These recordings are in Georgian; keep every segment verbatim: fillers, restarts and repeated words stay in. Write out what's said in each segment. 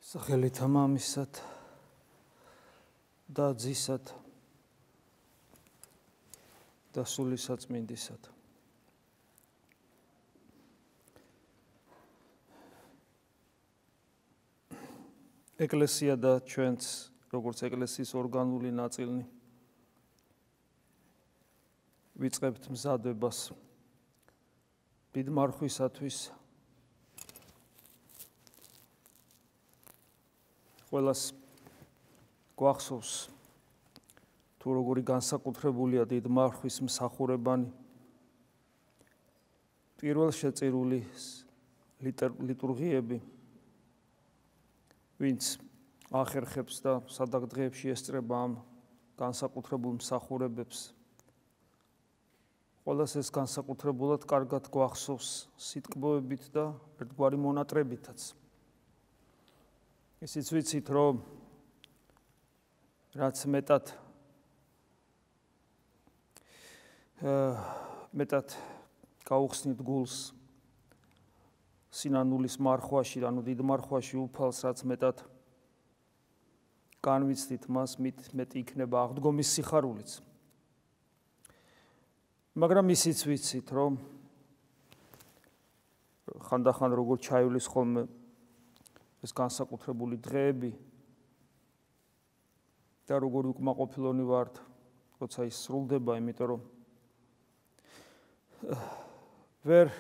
სახელითა მამისად და ძისად და სულისაწმინდისად. ეკლესია და ჩვენც, როგორც ეკლესიის ორგანული ნაწილნი, ვიწყებთ მზადებას დიდმარხვისათვის. ყველას გვახსოვს თუ როგორი განსაკუთრებულია დიდმარხვის მსახურებანი. პირველ შეწირული ლიტურგიები, ვინც ახერხებს და სადაგდღეებში ესწრება ამ განსაკუთრებულ მსახურებებს, ყველას ეს განსაკუთრებულად კარგად გვახსოვს სიტყვებით და ერთგვარი მონატრებითაც. ისიც ვიცით, რომ რაც მეტად მეტად გაუხსნით გულს სინანულის მარხვაში, ანუ დიდ მარხვაში უფალს, რაც მეტად განვიცდით მას, მით მეტი იქნება აღდგომის სიხარულიც. მაგრამ ისიც ვიცით, რომ ხანდახან როგორ ჩაივლის ხოლმე ეს განსაკუთრებული დღეები და როგორი უკმაყოფილონი ვართ, როცა ის სრულდება, იმიტომ რომ ვერ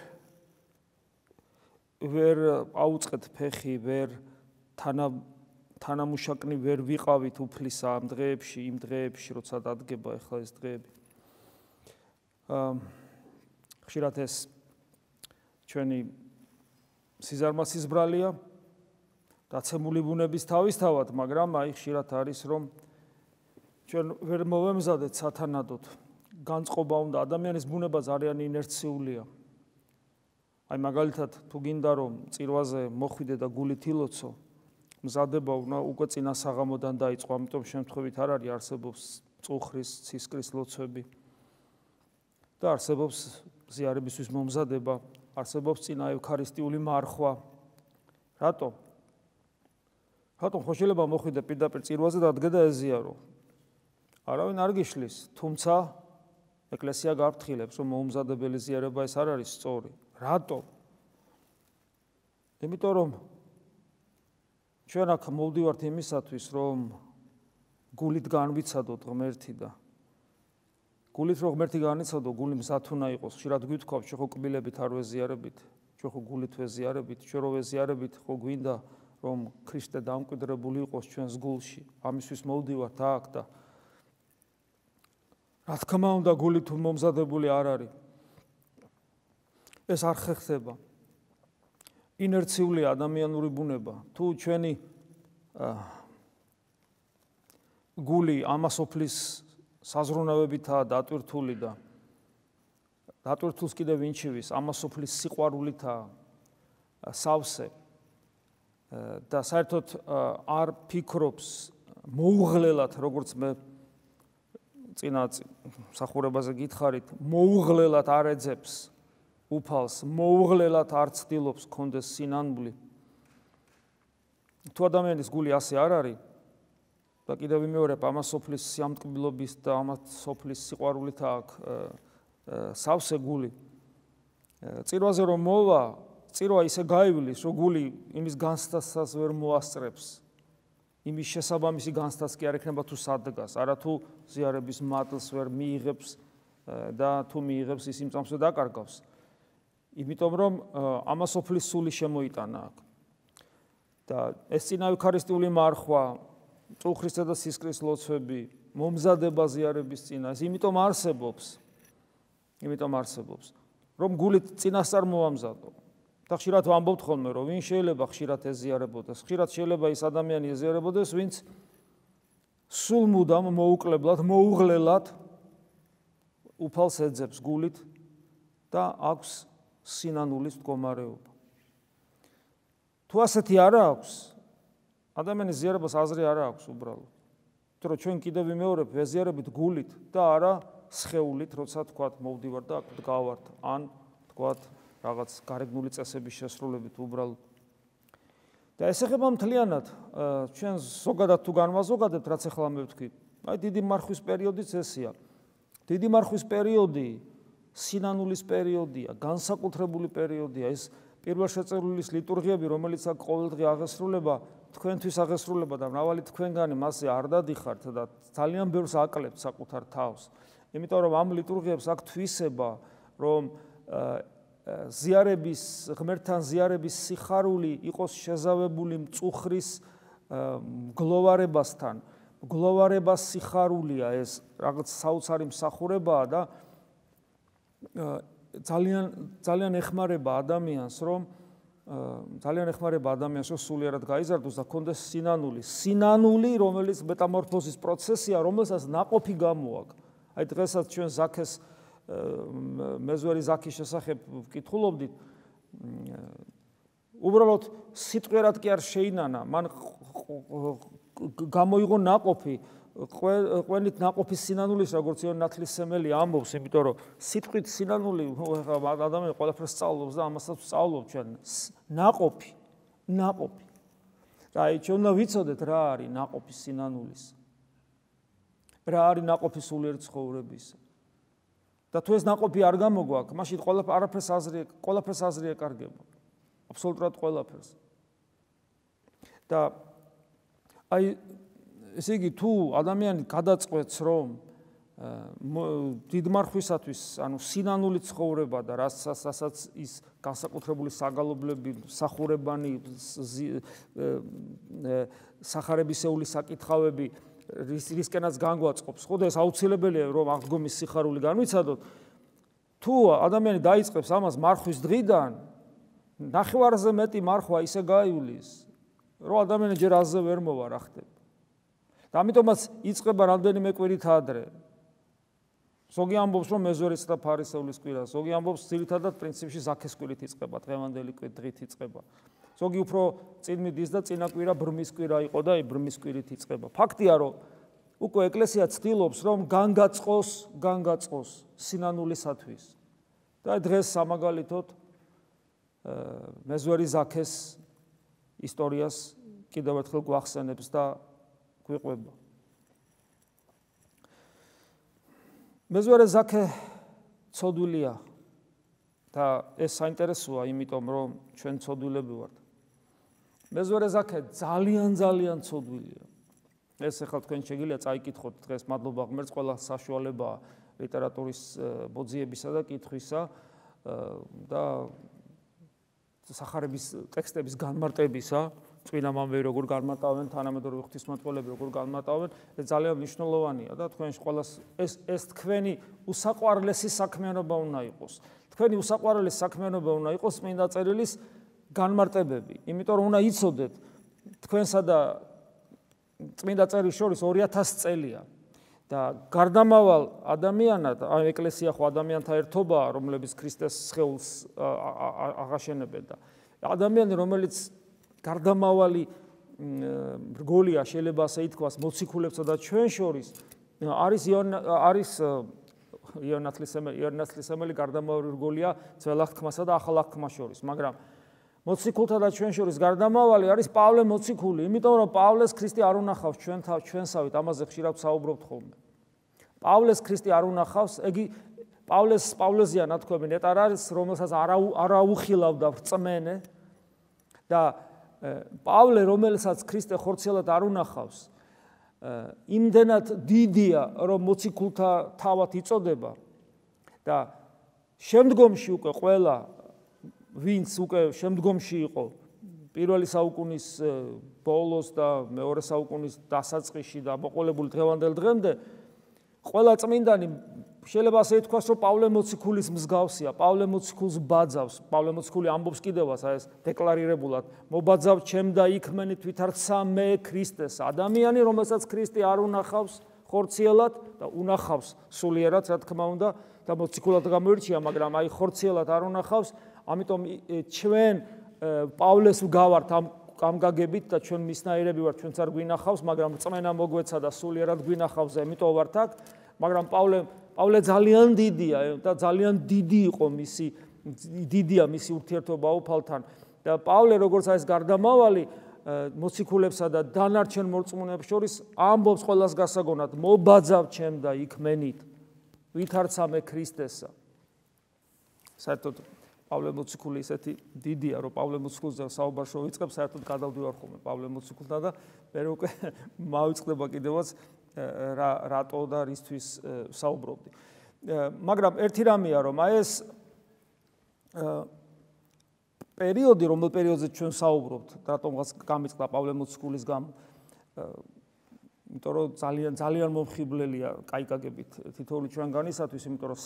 ვერ აუწყეთ ფეხი, ვერ თანა თანამუშაკნი ვერ ვიყავით უფლისა ამ დღეებში, იმ დღეებში, როცა დადგება ახლა ეს დღეები. ხშირად ეს ჩვენი სიზარმაცის ბრალია, დაცემული ბუნების თავისთავად, მაგრამ აი ხშირად არის, რომ ჩვენ ვერ მოვემზადეთ სათანადოდ. განწყობა უნდა, ადამიანის ბუნება ძალიან ინერციულია. აი მაგალითად, თუ გინდა რომ წირვაზე მოხვიდე და გულით ილოცო, მზადება უნდა უკვე წინა საღამოდან დაიწყო, ამიტომ შემთხვევით არ არის, არსებობს წუხრის, ცისკრის ლოცვები და არსებობს ზიარებისთვის მომზადება, არსებობს წინა ევქარისტიული მარხვა. რატო? რატომ ხო შეიძლება მოხვიდე პირდაპირ წირვაზე და ადგე და ეზიარო? არავინ არ გიშლის, თუმცა ეკლესია გაფრთხილებს, რომ მოუმზადებელი ზიარება ეს არ არის სწორი. რატო? იმიტომ რომ ჩვენ აქ მოვდივართ იმისათვის, რომ გულით განვიცადოთ ღმერთი და გულით რომ ღმერთი განიცადო, გული მზად უნდა იყოს. ხშირად გვითხოვთ, ჩვენ ხო კბილებით არ ვეზიარებით, ჩვენ ხო გულით ვეზიარებით, ჩვენ რო ვეზიარებით, ხო გვინდა რომ ქრისტე დამკვიდრებული იყოს ჩვენს გულში. ამისთვის მოვდივართ აქ და რა თქმა უნდა, გულით თუ მომზადებული არ არის, ეს არ ხერხდება. ინერციული ადამიანური ბუნება. თუ ჩვენი გული ამასოფლის საზრუნავებითაა დატვირთული და დატვირთულს კიდევ ვინჩივის, ამასოფლის სიყვარულითაა სავსე და საერთოდ არ ფიქრობს მოუღლელად, როგორც მე წინა მსახურებაზე გითხარით, მოუღლელად არ ეძებს უფალს, მოუღლელად არ ცდილობს კონდეს სინანული. თუ ადამიანის გული ასე არ არის და კიდევ ვიმეორებ, ამას სოფლის სიამტკბილობის და ამას სოფლის სიყვარულით აქვს სავსე გული. წირვაზე რომ მოვა, წირვა ისე გაივლის, რომ გული იმის განცდასაც ვერ მოასწრებს. იმის შესაბამისი განცდაც კი არ ექნება თუ სადგას, არა თუ ზიარების მადლს ვერ მიიღებს და თუ მიიღებს ის იმ წამსვე დაკარგავს. იმიტომ რომ ამასოფლის სული შემოიტანა აქ. და ეს წინა ევქარისტიული მარხვა, წუხრისა და სისკრის ლოცვები, მომზადება ზიარების წინა, ეს იმიტომ არსებობს. იმიტომ არსებობს, რომ გულით წინასწარ მოამზადო. და ხშირად ვამბობთ ხოლმე, რომ ვინ შეიძლება ხშირად ეზიარებოდეს, ხშირად შეიძლება ის ადამიანი ეზიარებოდეს, ვინც სულ მუდამ მოუკლებლად, მოუღლელად უფალს ეძებს გულით და აქვს სინანულის მდგომარეობა. თუ ასეთი არ აქვს, ადამიანის ზიარებას აზრი არ აქვს უბრალოდ. იმიტომ რომ ჩვენ კიდევ ვიმეორებ, ვეზიარებით გულით და არა სხეულით, როცა თქვათ მოვდივარ და აქ დგავართ, ან თქვათ რაღაც გარეგნული წესების შესრულებით უბრალოდ. და ეს ეხება მთლიანად ჩვენ ზოგადად თუ განვაზოგადებთ, რაც ახლა მე ვთქვი. აი დიდი მარხვის პერიოდიც ესეა. დიდი მარხვის პერიოდი სინანულის პერიოდია, განსაკუთრებული პერიოდია. ეს პირველშეწირვლის ლიტურგიები, რომელიც აქ ყოველდღე აღესრულება, თქვენთვის აღესრულება და მრავალი თქვენგანი მასზე არ დადიხართ და ძალიან ბევრს აკლებთ საკუთარ თავს. იმიტომ რომ ამ ლიტურგიებს აქ თვისება, რომ ზიარების, ღმერთთან ზიარების სიხარული იყოს შეზავებული მწუხრის მგლოვარებასთან. მგლოვარებას სიხარულია ეს რაღაც საოცარი მსახურებაა და ძალიან ძალიან ეხმარება ადამიანს, რომ ძალიან ეხმარება ადამიანს, რომ სულიერად გაიზარდოს და ქონდეს სინანული. სინანული, რომელიც მეტამორფოზის პროცესია, რომელსაც ნაყოფი გამოაქვს. აი დღესაც ჩვენ ზაქეს მეზვერი ზაქის შესახებ ვკითხულობდით. უბრალოდ სიტყვერად კი არ შეინანა, მან გამოიღო ნაყოფი, ყვენით ნაყოფის სინანულის, როგორც იონ ნათლისმცემელი ამბობს, იმიტომ რომ სიტყვით სინანული ადამიანი ყველაფერს სწავლობს და ამასაც ვსწავლობ ჩვენ. ნაყოფი, ნაყოფი. და აი ჩვენ უნდა ვიცოდეთ რა არის ნაყოფი სინანულის. რა არის ნაყოფი სულიერ ცხოვრებისა. და თუ ეს ნაყოფი არ გამოგვაქვს, მაშინ ყველაფერს აზრი, ყველაფერს აზრი ეკარგება. აბსოლუტურად ყველაფერს. და აი ესე იგი თუ ადამიანი გადაწყვეტს, რომ დიდმარხვისათვის, ანუ სინანული ცხოვრება და რასაც ის განსაკუთრებული საგალობლები, სახურებანი, სახარებისეული საკითხავები რისკენაც განგვაწყობს, ხო და ეს აუცილებელია, რომ აღდგომის სიხარული განვიცადოთ. თუ ადამიანი დაიწყებს ამას მარხვის დღიდან, ნახევარზე მეტი მარხვა ისე გაივლის, რომ ადამიანი ჯერ აზზე ვერ მოვა რა ხდება. და ამიტომაც იწყება რამდენიმე კვირით ადრე. ზოგი ამბობს, რომ მეზვერის და ფარისევლის კვირა, ზოგი ამბობს, ძირითადად პრინციპში ზაქეს კვირით იწყება, დღევანდელი დღით იწყება. ზოგი უფრო წინ მიდის და წინა კვირა ბრმის კვირა იყო და ბრმის კვირით იწყება. ფაქტია, რომ უკვე ეკლესია ცდილობს, რომ განგაწყოს, განგაწყოს სინანულისათვის. და დღეს სამაგალითოდ მეზვერი ზაქეს ისტორიას კიდევ ერთხელ გვახსენებს და გვიყვება. მეზვარე ზაქე ცოდვილია და ეს საინტერესოა, იმიტომ რომ ჩვენ ცოდვილები ვართ. მეზვარე ზაქე ძალიან ძალიან ცოდვილია. ეს ახლა თქვენ შეგიძლია წაიკითხოთ დღეს, მადლობა ღმერთს, ყველა საშუალებაა ლიტერატურის ბოძიებისა და კითხვისა და სახარების ტექსტების განმარტებისა, წმინდა მამები როგორ განმარტავენ, თანამედროვე ღვთისმეტყველები როგორ განმარტავენ, ეს ძალიან მნიშვნელოვანია და თქვენ ყველას ეს ეს თქვენი უსაყვარლესი საქმიანობა უნდა იყოს. თქვენი უსაყვარლესი საქმიანობა უნდა იყოს წმინდა წერილის განმარტებები, იმიტომ რომ უნდა იცოდეთ თქვენსა და წმინდა წერილს შორის ორი ათასი წელია და გარდამავალ ადამიანად, აი ეკლესია ხო ადამიანთა ერთობაა, რომლებიც ქრისტეს სხეულს აღაშენებენ და ადამიანი, რომელიც გარდამავალი რგოლია, შეიძლება ასე ითქვას, მოციქულებსა და ჩვენ შორის არის არის იონ ნათლისმცემელი გარდამავალი რგოლია ძველ აღთქმასა და ახალ აღთქმას შორის, მაგრამ მოციქულთა და ჩვენ შორის გარდამავალი არის პავლე მოციქული, იმიტომ რომ პავლეს ქრისტე არ უნახავს ჩვენ ჩვენსავით, ამაზე ხშირად საუბრობთ ხოლმე. პავლეს ქრისტე არ უნახავს, ეგი პავლეს პავლეზია ნათქვამი ნეტარ არის, რომელსაც არ აუხილავდა რწმენე და პავლე, რომელსაც ქრისტე ხორციელად არ უნახავს, იმდენად დიდია, რომ მოციქულთა თავად იწოდება და შემდგომში უკვე ყველა ვინც უკვე შემდგომში იყო პირველი საუკუნის ბოლოს და მეორე საუკუნის დასაწყისში და მოყოლებული დღევანდელ დღემდე ყველა წმინდანი შეიძლება ასე ითქვას, რომ პავლე მოციქულის მსგავსია, პავლე მოციქულს ბაძავს, პავლე მოციქული ამბობს კიდევაც ეს დეკლარირებულად, მობაძავ ჩემ და იქმენით ვითარცა მე ქრისტეს, ადამიანი, რომელსაც ქრისტე არ უნახავს ხორციელად და უნახავს სულიერად, რა თქმა უნდა, და მოციქულად გამოირჩია, მაგრამ აი ხორციელად არ უნახავს, ამიტომ ჩვენ პავლეს ვგავართ ამ ამ გაგებით და ჩვენ მისნაირები ვართ, ჩვენც არ გვინახავს, მაგრამ რწმენა მოგვეცა და სულიერად გვინახავს, ამიტომ ვართ აქ, მაგრამ პავლე პავლე ძალიან დიდია და ძალიან დიდი იყო მისი დიდია მისი ურთიერთობა უფალთან და პავლე როგორც არის გარდამავალი მოციქულებსა და დანარჩენ მორწმუნეებს შორის ამბობს ყველას გასაგონად, მობაძავ ჩემ და იქმენით, ვითარცა მე ქრისტესა. საერთოდ პავლე მოციქული ისეთი დიდია, რომ პავლე მოციქულზე საუბარს შევიწყებ, საერთოდ გადავდივარ ხოლმე პავლე მოციქულთან და მე უკვე მავიწყდება კიდევაც რა რატო და რისთვის საუბრობდი. მაგრამ ერთი რამეა, რომ აი ეს პერიოდი, რომელ პერიოდზე ჩვენ საუბრობთ, რატომღაც გამიწყდა პავლე მოციქულის გამო, იმიტომ რომ ძალიან ძალიან მომხიბლელია კაიკაგებით თითოეული ჩვენგანისათვის, იმიტომ რომ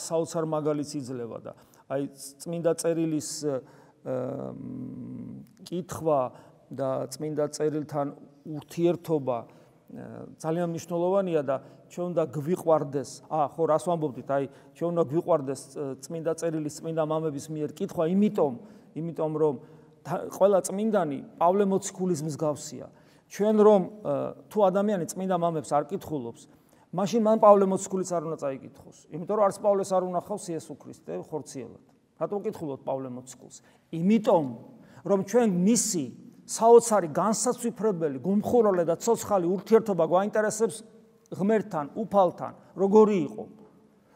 საოცარ მაგალითს იძლევა და აი წმინდა წერილის კითხვა და წმინდა წერილთან ურთიერთობა ძალიან მნიშვნელოვანია და ჩვენ უნდა გვიყვარდეს, აა ხო რას ვამბობდით, აი ჩვენ უნდა გვიყვარდეს წმინდა წერილის წმინდა მამების მიერ კითხვა, იმიტომ, იმიტომ რომ ყველა წმინდანი პავლე მოციქულის მსგავსია. ჩვენ რომ თუ ადამიანი წმინდა მამებს არ კითხულობს, მაშინ მან პავლე მოციქულიც არ უნდა წაიკითხოს. იმიტომ რომ არც პავლეს არ უნახავს იესო ქრისტე ხორციელად. რატომ კითხულობთ პავლე მოციქულს? იმიტომ რომ ჩვენ მისი საოცარი განსაცვიფრებელი, გუმხურვალე და ცოცხალი ურთიერთობა გვაინტერესებს ღმერთთან, უფალთან, როგორი იყო.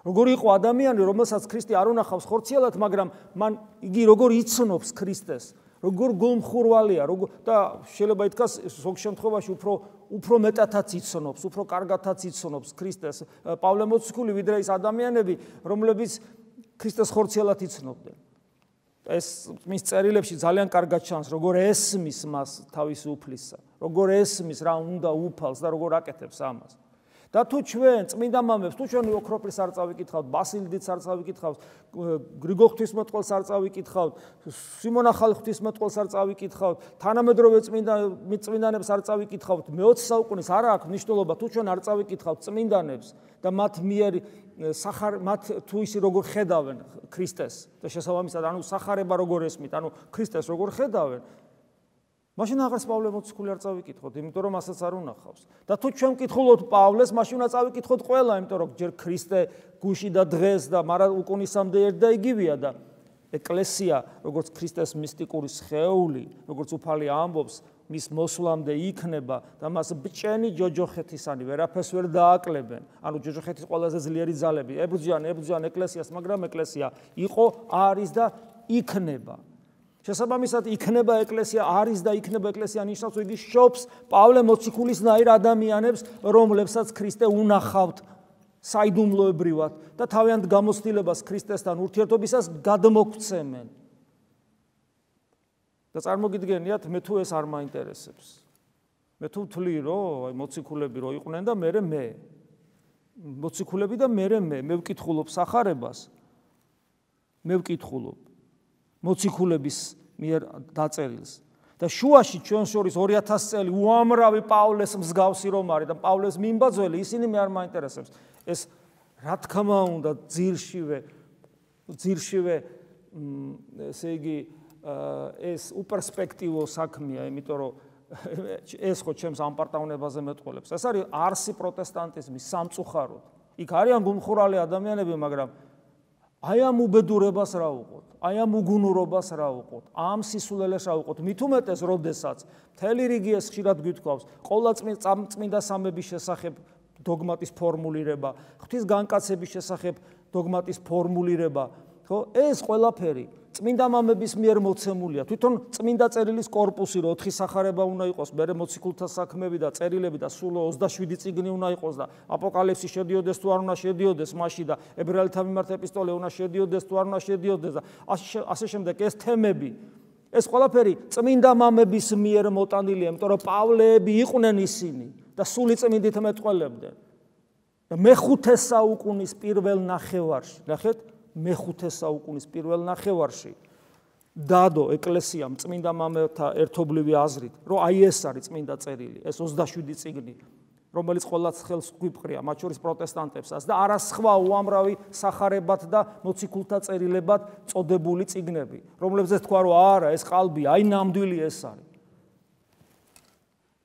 როგორი იყო ადამიანი, რომელსაც ქრისტე არ უნახავს ხორციელად, მაგრამ მან იგი როგორ იცნობს ქრისტეს, როგორ გუმხურვალეა, როგორ და შეიძლება ითქვას ზოგ შემთხვევაში უფრო უფრო მეტათაც იცნობს, უფრო კარგათაც იცნობს ქრისტეს პავლე მოციქული, ვიდრე ის ადამიანები, რომლებიც ქრისტეს ხორციელად იცნობდნენ. ეს მის წერილებში ძალიან კარგად ჩანს, როგორ ესმის მას თავისი უფლისა, როგორ ესმის რა უნდა უფალს და როგორ აკეთებს ამას. და თუ ჩვენ წმინდა მამებს, თუ ჩვენ ოქროპრის არ წავიკითხავთ, ბასილიდიც არ წავიკითხავთ, გრიგოლ ღვთისმეტყველს არ წავიკითხავთ, სიმონ ახალი ღვთისმეტყველს არ წავიკითხავთ, თანამედროვე წმინდა წმინდანებს არ წავიკითხავთ, მეოცე საუკუნის არ აქვს მნიშვნელობა, თუ ჩვენ არ წავიკითხავთ წმინდანებს და მათ მიერ სახარ მათ თუ ისი როგორ ხედავენ ქრისტეს და შესაბამისად ანუ სახარება როგორ ესმით, ანუ ქრისტეს როგორ ხედავენ, მაშინ აღარც პავლე მოციქული არ წავიკითხოთ, იმიტომ რომ ასაც არ უნახავს. და თუ ჩვენ ვკითხულობთ პავლეს, მაშინ უნდა წავიკითხოთ ყველა, იმიტომ რომ ჯერ ქრისტე გუში და დღეს და მარა უკუნისამდე ერთ და იგივეა და ეკლესია, როგორც ქრისტეს მისტიკური სხეული, როგორც უფალი ამბობს, მის მოსვლამდე იქნება და მას ბჭენი ჯოჯოხეთისანი ვერაფერს ვერ დააკლებენ. ანუ ჯოჯოხეთის ყველაზე ძლიერი ძალები ებრძვიან, ებრძვიან ეკლესიას, მაგრამ ეკლესია იყო, არის და იქნება. შესაბამისად იქნება ეკლესია, არის და იქნება ეკლესია ნიშნავს, რომ იგი შობს პავლე მოციქულისნაირ ადამიანებს, რომლებსაც ქრისტე უნახავთ საიდუმლოებრივად და თავიანთ გამოცდილებას ქრისტესთან ურთიერთობისას გადმოგცემენ. და წარმოგიდგენიათ, მე თუ ეს არ მაინტერესებს. მე თუ ვთვლი, რომ აი მოციქულები რო იყვნენ და მე მე. მოციქულები და მე მე, მე ვკითხულობ სახარებას. მე ვკითხულობ მოციქულების მიერ დაწერილს და შუაში ჩვენ შორის ორი ათასი წელი უამრავი პავლეს მსგავსი რომ არის და პავლეს მიმბაძველი, ისინი მე არ მაინტერესებს. ეს რა თქმა უნდა ძირშივე ძირშივე ესე იგი ეს უპერსპექტივო საქმეა, იმიტომ რომ ეს ხო ჩემს ამპარტავნებაზე მეტყოლებს. ეს არის არსი პროტესტანტიზმის სამწუხაროდ. იქ არიან გუმხურვალე ადამიანები, მაგრამ აი ამ უბედურებას რა უყოთ, აი ამ უგუნურობას რა უყოთ, ამ სისულელეს რა უყოთ, მით უმეტეს, როდესაც მთელი რიგი ეს ხშირად გვითქვავს, ყოლა წმინდა სამების შესახებ დოგმატის ფორმულირება, ღვთის განკაცების შესახებ დოგმატის ფორმულირება, ხო, ეს ყველაფერი წმინდა მამების მიერ მოცემულია. თვითონ წმინდა წერილის კორპუსი, რომ ოთხი სახარება უნდა იყოს, მერე მოციქულთა საქმეები და წერილები და სულ ოცდაშვიდი წიგნი უნდა იყოს და აპოკალიფსი შედიოდეს თუ არ უნდა შედიოდეს მასში და ებრაელთა მიმართ ეპისტოლე უნდა შედიოდეს თუ არ უნდა შედიოდეს და ასე შემდეგ ეს თემები, ეს ყველაფერი წმინდა მამების მიერ მოტანილია, იმიტომ რომ პავლეები იყვნენ ისინი და სული წმინდით მეტყველებდნენ. და მეხუთე საუკუნის პირველ ნახევარში, ნახეთ, მეხუთე საუკუნის პირველ ნახევარში დადო ეკლესიამ წმინდა მამებთა ერთობლივი აზრით, რომ აი ეს არის წმინდა წერილი, ეს ოცდაშვიდი წიგნი, რომელიც ყოველას ხელს გვიპყრია, მათ შორის პროტესტანტებსაც და არა სხვა უამრავი სახარებად და მოციქულთა წერილებად წოდებული წიგნები, რომლებზეც თქვა, რომ არა, ეს ყალბია, აი ნამდვილი ეს არის.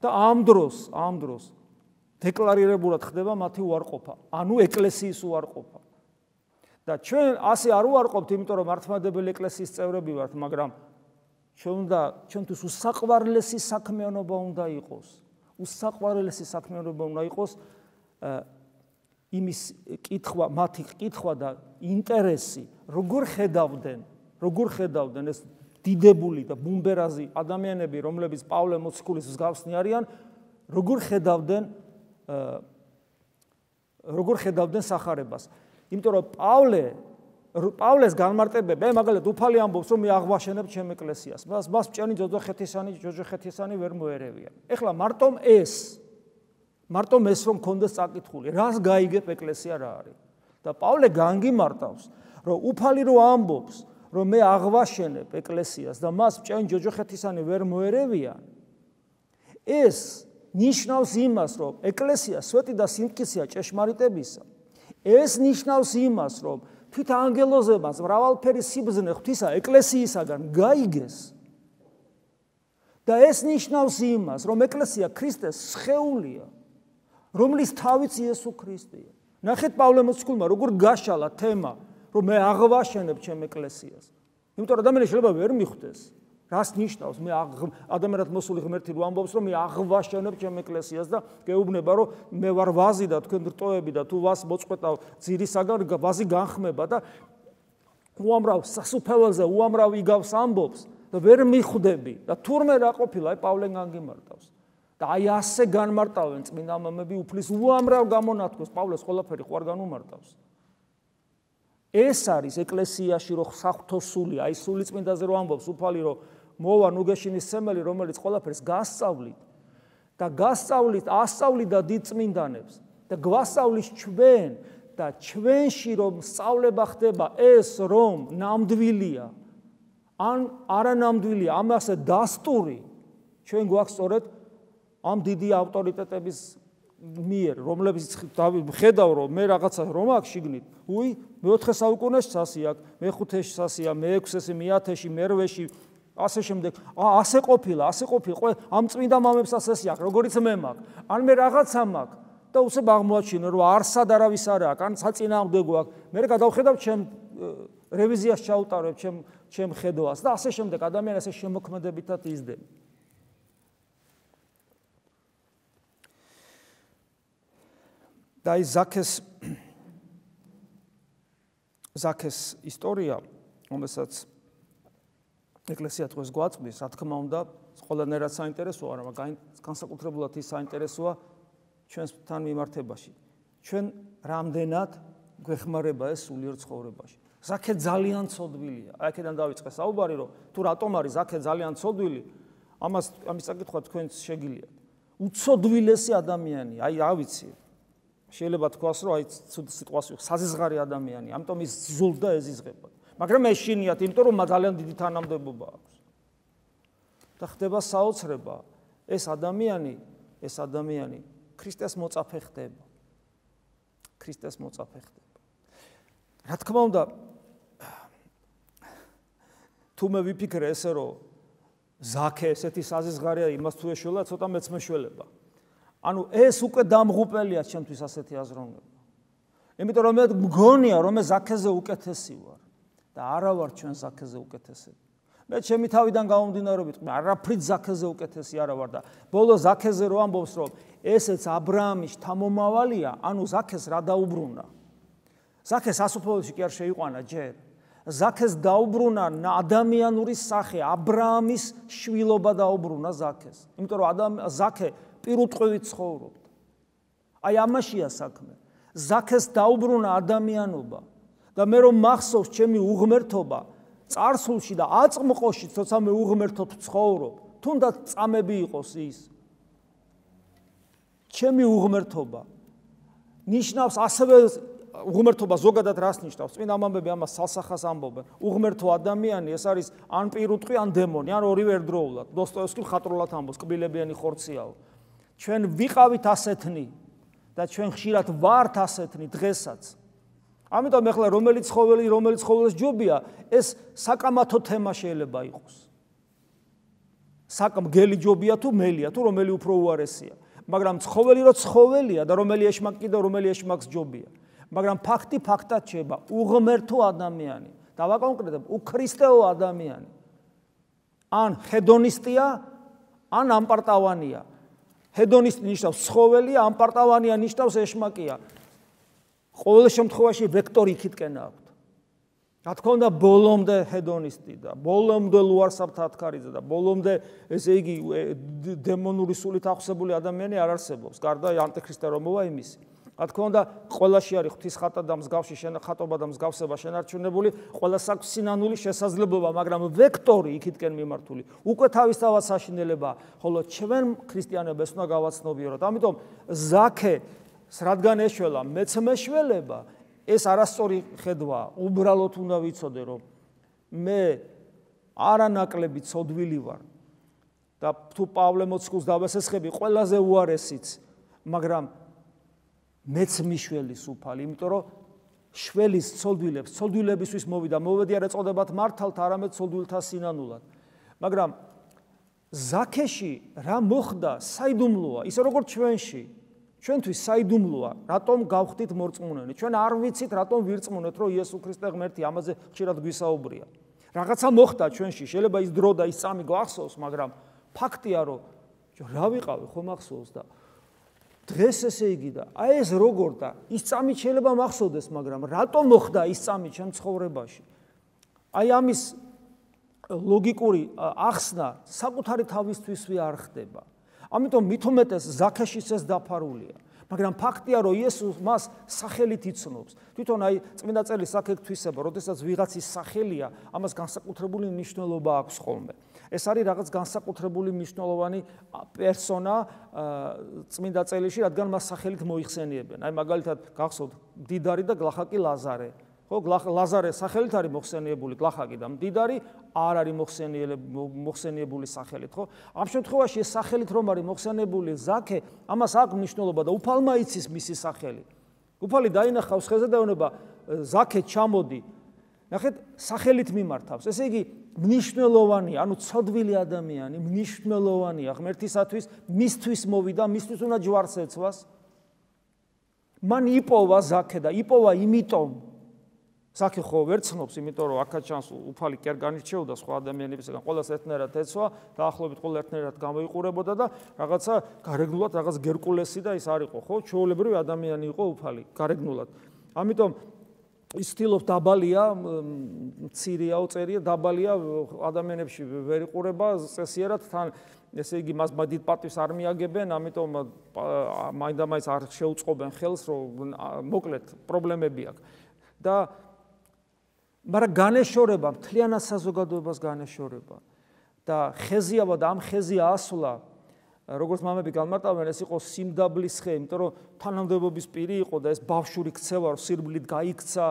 და ამ დროს, ამ დროს დეკლარირებულად ხდება მათი უარყოფა, ანუ ეკლესიის უარყოფა. და ჩვენ ასე არ უარყოფთ, იმიტომ რომ მართლმადებელი ეკლესიის წევრები ვართ, მაგრამ ჩვენ უნდა ჩვენთვის უსაყვარლესი საქმიანობა უნდა იყოს. უსაყვარლესი საქმიანობა უნდა იყოს იმის კითხვა, მათი კითხვა და ინტერესი, როგორ ხედავდნენ, როგორ ხედავდნენ ეს დიდებული და ბუმბერაზი ადამიანები, რომლებიც პავლე მოციქულის მსგავსნი არიან, როგორ ხედავდნენ როგორ ხედავდნენ სახარებას. იმიტომ რომ პავლე პავლეს განმარტებები, მე მაგალითად უფალი ამბობს, რომ მე აღვაშენებ ჩემ ეკლესიას. მას მას მჭენი ჯოჯოხეთისანი, ჯოჯოხეთისანი ვერ მოერევიან. ეხლა მარტომ ეს, მარტომ ეს რომ კონდეს წაკითხული, რას გაიგებ ეკლესია რა არის? და პავლე განგიმარტავს, რომ უფალი რო ამბობს, რომ მე აღვაშენებ ეკლესიას და მას მჭენი ჯოჯოხეთისანი ვერ მოერევიან, ეს ნიშნავს იმას, რომ ეკლესია სვეტი და სიმტკიცეა ჭეშმარიტებისა. ეს ნიშნავს იმას, რომ თვით ანგელოზებმაც მრავალფერი სიბრძნე ღვთისა ეკლესიისაგან გაიგეს. და ეს ნიშნავს იმას, რომ ეკლესია ქრისტეს სხეულია, რომლის თავიც იესო ქრისტეა. ნახეთ პავლე მოციქულმა როგორ გაშალა თემა, რომ მე აღვაშენებ ჩემ ეკლესიას. იმიტომ რომ ადამიანი შეიძლება ვერ მიხვდეს. რას ნიშნავს მე ადამიანად მოსული ღმერთი რო ამბობს რომ მე აღვაშენებ ჩემ ეკლესიას და გეუბნება რომ მე ვარ ვაზი და თქვენ რტოები და თუ ვას მოწყვეტავ ძირისაგან ვაზი განხმება და უამრავ სასუფეველზე უამრავ იგავს ამბობს და ვერ მიხვდები და თურმე რა ყოფილა აი პავლე განგიმარტავს და აი ასე განმარტავენ წმინდა მამები უფლის უამრავ გამონათქვეს პავლეს ყველაფერი ხო არ განუმარტავს. ეს არის ეკლესიაში რო საღვთო სული აი სული წმინდაზე რო ამბობს უფალი რომ მოვა ნუგეშინის სემელი, რომელიც ყველაფერს გასწავლით და გასწავლით, ასწავლით და დიდ წმინდანებს და გვასწავლის ჩვენ და ჩვენში რომ სწავლება ხდება ეს რომ ნამდვილია ან არანამდვილია, ამასე დასტური ჩვენ გვაქვს სწორედ ამ დიდი ავტორიტეტების მიერ, რომლებიც ხედავ რომ მე რაღაცა რომ აქვს შიგნით, უი, მეოთხე საუკუნეში სასი აქვს, მეხუთეში სასია, მეექვსეში, მეათეში, მერვეში ასე შემდეგ, ასე ყოფილა, ასე ყოფილა, ამ წმინდა მამებს ასესი აქვს, როგორიც მე მაქვს. ან მე რაღაცა მაქვს და უცებ აღმოაჩინე, რომ არსად არავის არ აქვს, ან საწინააღმდეგო აქვს. მე გადავხედავ ჩემ რევიზიას ჩაუტარებ ჩემ ჩემ ხედვას და ასე შემდეგ ადამიანი ასე შემოქმედებითად იზრდება. და ის ზაქეს ზაქეს ისტორია, რომელსაც ეკლესია დღეს გვაწვდის, რა თქმა უნდა, ყველანაირად საინტერესოა, მაგრამ განსაკუთრებულად ის საინტერესოა ჩვენთან მიმართებაში. ჩვენ რამდენად გვეხმარება ეს სულიერ ცხოვრებაში. ზაქე ძალიან ცოდვილია. აი აქედან დავიწყე საუბარი, რომ თუ რატომ არის ზაქე ძალიან ცოდვილი, ამას ამის საკითხვა თქვენც შეგიძლიათ. უცოდვილესი ადამიანი, აი რა ვიცი. შეიძლება თქვას, რომ აი სიტყვას საზღარი ადამიანი, ამიტომ ის ზულდა ეზიზღება. მაგრამ ეშინიათ, იმიტომ რომ ძალიან დიდი თანამდებობა აქვს. და ხდება საოცრება, ეს ადამიანი, ეს ადამიანი ქრისტეს მოწაფე ხდება. ქრისტეს მოწაფე ხდება. რა თქმა უნდა, თუ მე ვიფიქრე ესე, რომ ზაქე ესეთი საზღარია, იმას თუ ეშველა, ცოტა მეც მეშველება. ანუ ეს უკვე დამღუპელია ჩემთვის ასეთი აზროვნება. იმიტომ რომ მე მგონია, რომ მე ზაქეზე უკეთესი ვარ. და არა ვარ ჩვენ ზაქეზე უკეთესები. მე ჩემი თავიდან გამომდინარეობით მე არაფრით ზაქეზე უკეთესი არა ვარ და ბოლო ზაქეზე რო ამბობს რომ ესეც აბრაამის შთამომავალია, ანუ ზაქეს რა დაუბრუნა. ზაქეს ასופოველში კი არ შეიყვანა ჯერ. ზაქეს დაუბრუნა ადამიანური სახე, აბრაამის შვილობა დაუბრუნა ზაქეს. იმიტომ რომ ადამ ზაქე პირუტყვივით ცხოვრობდა. აი ამაშია საქმე. ზაქეს დაუბრუნა ადამიანობა. და მე რომ მახსოვს ჩემი უღმერთობა წარსულში და აწმყოში, თორსა მე უღმერთოდ ცხოვრობ, თუნდაც წამები იყოს ის. ჩემი უღმერთობა ნიშნავს ასევე უღმერთობა ზოგადად რას ნიშნავს? წმინდა მამები ამას სასახას ამბობენ. უღმერთო ადამიანი ეს არის ან პირუტყვი, ან დემონი, ან ორივე ერთდროულად. დოსტოევსკი ხატრულად ამბობს, კბილებიანი ხორციაო. ჩვენ ვიყავით ასეთნი და ჩვენ ხშირად ვართ ასეთნი დღესაც. ამიტომ ახლა რომელიც ცხოველი, რომელიც ცხოველს ჯობია, ეს საკამათო თემა შეიძლება იყოს. საკმგელი ჯობია თუ მელია, თუ რომელი უფრო უარესია. მაგრამ ცხოველი რო ცხოველია და რომელი ეშმაკი და რომელი ეშმაკს ჯობია. მაგრამ ფაქტი ფაქტად შეება, უღმერთო ადამიანი. დავაკონკრეტებ, უქრისტეო ადამიანი. ან ჰედონისტია, ან ამპარტავანია. ჰედონისტი ნიშნავს ცხოველია, ამპარტავანია ნიშნავს ეშმაკია. ყოველ შემთხვევაში ვექტორი იქითკენ აქვს. რა თქმა უნდა, ბოლომდე ჰედონისტი და ბოლომდე ლუარსაბთათქარიძე და ბოლომდე ესე იგი დემონური სულით ახსებული ადამიანი არ არსებობს, გარდა ანტიქრისტე რომ მოვა იმისი. რა თქმა უნდა, ყველაში არის ღვთის ხატა და მსგავსი ხატობა და მსგავსება შენარჩუნებული, ყველას აქვს სინანული შესაძლებლობა, მაგრამ ვექტორი იქითკენ მიმართული. უკვე თავისთავად საშინელებაა, ხოლო ჩვენ ქრისტიანებს უნდა გავაცნობიეროთ. ამიტომ ზაქე რადგან ეშველა, მეც მეშველება, ეს არასწორი ხედვაა. უბრალოდ უნდა ვიცოდე, რომ მე არანაკლები ცოდვილი ვარ და თუ პავლე მოციქულს დავესესხები, ყველაზე უარესიც, მაგრამ მეც მიშველი სუფალი, იმიტომ რომ შველის ცოდვილებს, ცოდვილებისთვის მოვიდა, მოვედი არ ეწოდებათ მართალთ, არამედ ცოდვილთა სინანულად. მაგრამ ზაქეში რა მოხდა, საიდუმლოა, ისე როგორც ჩვენში. ჩვენთვის საიდუმლოა, რატომ გავხდით მორწმუნენი. ჩვენ არ ვიცით, რატომ ვირწმუნეთ, რომ იესო ქრისტე ღმერთი, ამაზე ხშირად გვისაუბრია. რაღაცა მოხდა ჩვენში, შეიძლება ის დრო და ის წამი გვახსოვს, მაგრამ ფაქტია, რომ რა ვიყავი, ხომ ახსოვს და დღეს ესე იგი და აი ეს როგორ და ის წამი შეიძლება მახსოვდეს, მაგრამ რატომ მოხდა ის წამი ჩემ ცხოვრებაში? აი ამის ლოგიკური ახსნა საკუთარი თავისთვისვე არ ხდება. ამიტომ მით უმეტეს ზაქეშიც ეს დაფარულია. მაგრამ ფაქტია, რომ იესოს მას სახელით იცნობს. თვითონ აი წმინდა წერილი საკეთთვისება, როდესაც ვიღაცის სახელია, ამას განსაკუთრებული მნიშვნელობა აქვს ხოლმე. ეს არის რაღაც განსაკუთრებული მნიშვნელოვანი პერსონა წმინდა წერილში, რადგან მას სახელით მოიხსენიებენ. აი მაგალითად გახსოვთ მდიდარი და გლახაკი ლაზარე. ხო, ლაზარე სახელით არის მოხსენიებული, გლახაკი და მდიდარი არ არის მოხსენიებული სახელით, ხო? ამ შემთხვევაში ეს სახელით რომ არის მოხსენიებული ზაქე, ამას აქვს მნიშვნელობა და უფალმა იცის მისი სახელი. უფალი დაინახავს ხეზე და ეუბნება ზაქე ჩამოდი. ნახეთ, სახელით მიმართავს. ესე იგი მნიშვნელოვანია, ანუ ცოდვილი ადამიანი, მნიშვნელოვანია ღმერთისათვის, მისთვის მოვიდა, მისთვის უნდა ჯვარს ეცვას. მან იპოვა ზაქე და იპოვა იმიტომ ზაქე ხო ვერ ცნობს, იმიტომ რომ აქაც ჩანს უფალი კი არ განირჩეოდა სხვა ადამიანებისგან, ყველას ერთნაირად ეცვა, დაახლოებით ყველა ერთნაირად გამოიყურებოდა და რაღაცა გარეგნულად რაღაც გერკულესი და ის არ იყო, ხო? ჩვეულებრივი ადამიანი იყო უფალი, გარეგნულად. ამიტომ ის ცდილობს დაბალია, მცირეაო წერია, დაბალია ადამიანებში ვერ იყურება, წესიერად თან ესე იგი მას დიდ პატივს არ მიაგებენ, ამიტომ მაინდა-მაინც არ შეუწყობენ ხელს, რომ მოკლედ პრობლემები აქვს. და მაგრამ განეშორება, მთლიანად საზოგადოებას განეშორება და ხეზიავა და ამ ხეზია ასვლა, როგორც მამები განმარტავენ, ეს იყო სიმდაბლის ხე, იმიტომ რომ თანამდებობის პირი იყო და ეს ბავშვური ქცევა, სირბლით გაიქცა,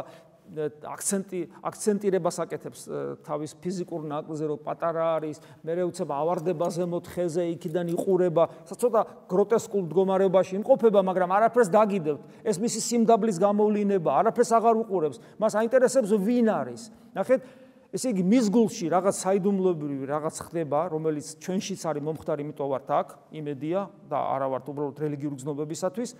აქცენტი აქცენტირებას აკეთებს თავის ფიზიკურ ნაკლზე, რომ პატარა არის, მერე უცებ ავარდება ზემოთ ხეზე, იქიდან იყურება, ცოტა გროტესკულ მდგომარეობაში იმყოფება, მაგრამ არაფერს დაგიდებთ. ეს მისი სიმდაბლის გამოვლინება, არაფერს აღარ უყურებს. მას აინტერესებს ვინ არის. ნახეთ, ესე იგი მის გულში რაღაც საიდუმლოებრივი რაღაც ხდება, რომელიც ჩვენშიც არის მომხდარი, იმიტომ ვართ აქ, იმედია და არა ვართ უბრალოდ რელიგიური გზნობებისათვის.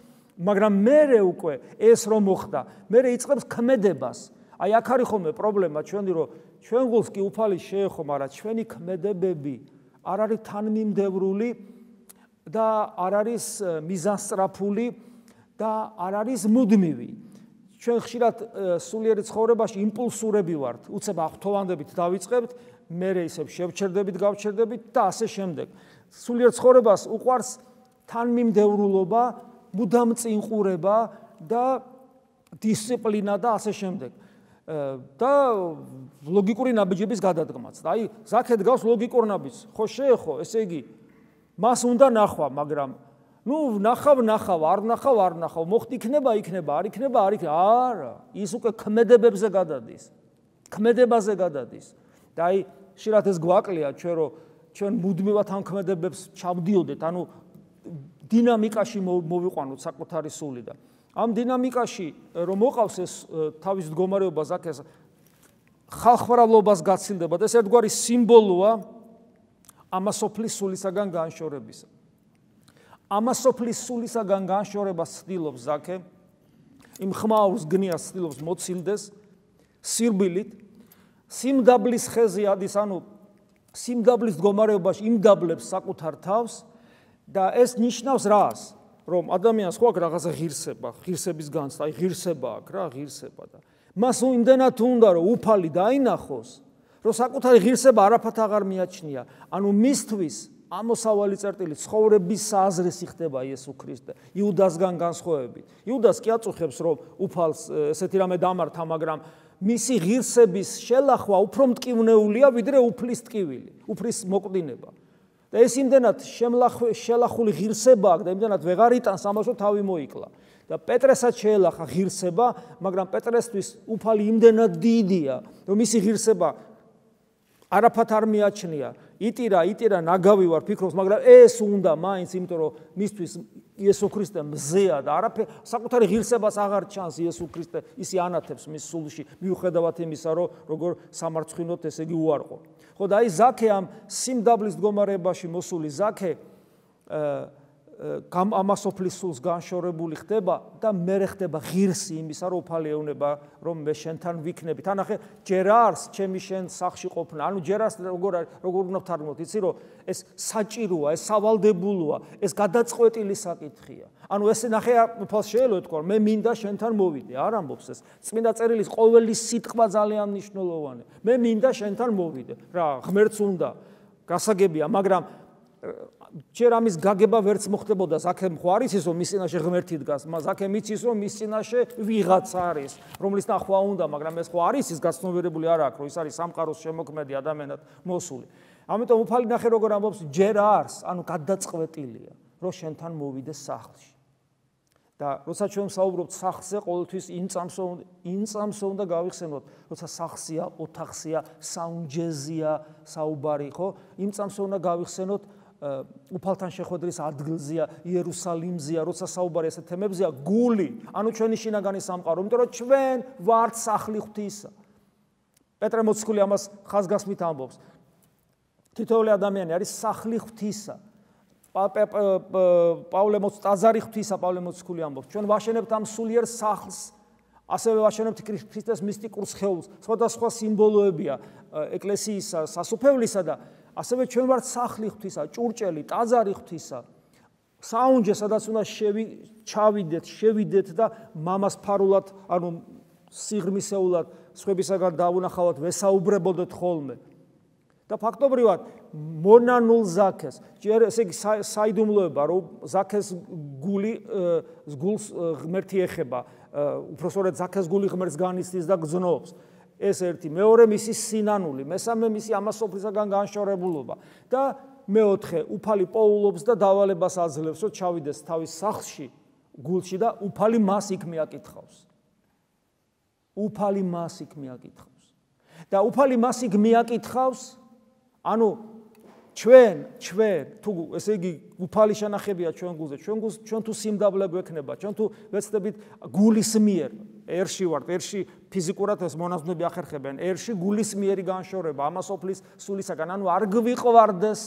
მაგრამ მერე უკვე ეს რომ მოხდა, მერე იწყებს ქმედებას. აი აქ არის ხოლმე პრობლემა ჩვენი, რომ ჩვენ გულს კი უფალი შეეხო, მაგრამ ჩვენი ქმედებები არ არის თანმიმდევრული და არ არის მიზანსწრაფული და არ არის მუდმივი. ჩვენ ხშირად სულიერი ცხოვრებაში იმპულსურები ვართ, უცებ აღთოვანდებით დავიწყებთ, მერე ისევ შევჩერდებით, გავჩერდებით და ასე შემდეგ. სულიერ ცხოვრებას უყვარს თანმიმდევრულობა, მუდამ წინყურება და დისციპლინა და ასე შემდეგ. და ლოგიკური ნაბიჯების გადადგმაც. აი, ზაქე დგავს ლოგიკურ ნაბიჯს. ხო შეეხო, ესე იგი, მას უნდა ნახვა, მაგრამ ნუ ნახავ, ნახავ, არ ნახავ, არ ნახავ, მოხდი იქნება, იქნება, არ იქნება, არ იქნება. არა, ის უკვე ქმედებებზე გადადის. ქმედებაზე გადადის. და აი, ხშირად ეს გვაკლია ჩვენ, რომ ჩვენ მუდმივად ამ ქმედებებს ჩავდიოდეთ, ანუ დინამიკაში მოვიყვანოთ საკუთარი სული და ამ დინამიკაში რომ მოყავს ეს თავის მდგომარეობა ზაქეს ხალხმრავლობას გაცილდება და ეს ერთგვარი სიმბოლოა ამასოფლის სულისაგან განშორებისა. ამასოფლის სულისაგან განშორებას ცდილობს ზაქე, იმ ხმაურს გნიას ცდილობს მოცილდეს სირბილით, სიმდაბლის ხეზე ადის, ანუ სიმდაბლის მდგომარეობაში იმდაბლებს საკუთარ თავს და ეს ნიშნავს რას? რომ ადამიანს ხო აქვს რაღაცა ღირსება, ღირსების განცდა, აი ღირსება აქვს რა, ღირსება და მას იმდენად უნდა რომ უფალი დაინახოს, რომ საკუთარი ღირსება არაფათ აღარ მიაჩნია. ანუ მისთვის ამოსავალი წერტილი ცხოვრების საზრესი ხდება იესო ქრისტე. იუდასგან განსხვავებით. იუდას კი აწუხებს რომ უფალს ესეთი რამე დამართა, მაგრამ მისი ღირსების შელახვა უფრო მტკივნეულია ვიდრე უფლის ტკივილი, უფლის მოკვდინება. და ეს იმდენად შელახული ღირსება აქვს და იმდენად ვეღარ იტანს ამას რომ თავი მოიკლა. და პეტრესაც შეელახა ღირსება, მაგრამ პეტრესთვის უფალი იმდენად დიდია, რომ მისი ღირსება არაფათ არ მიაჩნია. იტირა, იტირა, ნაგავი ვარ ფიქრობს, მაგრამ ეს უნდა მაინც, იმიტომ რომ მისთვის იესო ქრისტე მზეა და არაფერ საკუთარი ღირსებას აღარ ჩანს იესო ქრისტე, ისი ანათებს მის სულში, მიუხედავად იმისა, რომ როგორ სამარცხვინოთ, ესე იგი უარყო. ხო და აი ზაქე ამ სიმდაბლის მდგომარეობაში მოსული ზაქე ამასოფლის სულს განშორებული ხდება და მერე ხდება ღირსი იმისა, რომ უფალი ეუბნება, რომ მე შენთან ვიქნები. თანახე ჯერ არს ჩემი შენ სახლში ყოფნა. ანუ ჯერ არს როგორ როგორ უნდა ვთარგმნოთ, იცი რომ ეს საჭიროა, ეს სავალდებულოა, ეს გადაწყვეტილი საკითხია. ანუ ეს ნახე უფალს შეელო თქვა, მე მინდა შენთან მოვიდე, არ ამბობს ეს. წმინდა წერილის ყოველი სიტყვა ძალიან მნიშვნელოვანია. მე მინდა შენთან მოვიდე. რა, ღმერთს უნდა, გასაგებია, მაგრამ ჯერ ამის გაგება ვერც მოხდებოდა ზაქემ ხო არის ის რომ მის წინაშე ღმერთი დგას, ზაქემ იცის რომ მის წინაშე ვიღაც არის, რომლის ნახვა უნდა, მაგრამ ეს ხო არის ის გაცნობიერებული არ აქვს, რომ ის არის სამყაროს შემოქმედი ადამიანად მოსული. ამიტომ უფალი ნახე როგორ ამბობს, ჯერ არს, ანუ გადაწყვეტილია, რომ შენთან მოვიდე სახლში. და როცა ჩვენ საუბრობთ სახლზე, ყოველთვის იმ წამსო იმ წამსო უნდა გავიხსენოთ, როცა სახლსია, ოთახსია, საუნჯეზია, საუბარი, ხო? იმ წამსო უნდა გავიხსენოთ უფალთან შეხვედრის ადგილზია, იერუსალიმზია, როცა საუბარი ესეთ თემებზია, გული, ანუ ჩვენი შინაგანი სამყარო, იმიტომ რომ ჩვენ ვართ სახლი ღვთისა. პეტრე მოციქული ამას ხაზგასმით ამბობს. თითოეული ადამიანი არის სახლი ღვთისა. პავლე მოციქული, ტაძარი ღვთისა, პავლე მოციქული ამბობს. ჩვენ ვაშენებთ ამ სულიერ სახლს, ასევე ვაშენებთ ქრისტეს მისტიკურ სხეულს. სხვადასხვა სიმბოლოებია ეკლესიისა, სასუფევლისა და ასევე ჩვენ ვართ სახლი ღვთისა, ჭურჭელი, ტაძარი ღვთისა. საუნჯე, სადაც უნდა ჩავიდეთ, შევიდეთ და მამას ფარულად, ანუ სიღრმისეულად სხვებისაგან დავუნახავთ, ვესაუბრებოდეთ ხოლმე. და ფაქტობრივად მონანულ ზაქეს, ჯერ ესე იგი საიდუმლოება, რომ ზაქეს გული გულს ღმერთი ეხება, უпроსორეთ ზაქეს გული ღმერთს განიცდის და გზნობს. ეს ერთი, მეორე მისი სინანული, მესამე მისი ამასოფლისაგან განშორებულობა და მეოთხე უფალი პოულობს და დავალებას აძლევს, რომ ჩავიდეს თავის სახლში, გულში და უფალი მას იქ მიაკითხავს. უფალი მას იქ მიაკითხავს. და უფალი მას იქ მიაკითხავს, ანუ ჩვენ, ჩვენ, თუ ესე იგი უფალი შენახებია ჩვენ გულზე, ჩვენ გულს ჩვენ თუ სიმდაბლე გვექნება, ჩვენ თუ ვეცდებით გულის მიერ ერში ვართ, ერში ფიზიკურად ეს მონაზვნები ახერხებენ, ერში გულის მიერი განშორება, ამასოფლის სულისაგან, ანუ არ გვიყვარდეს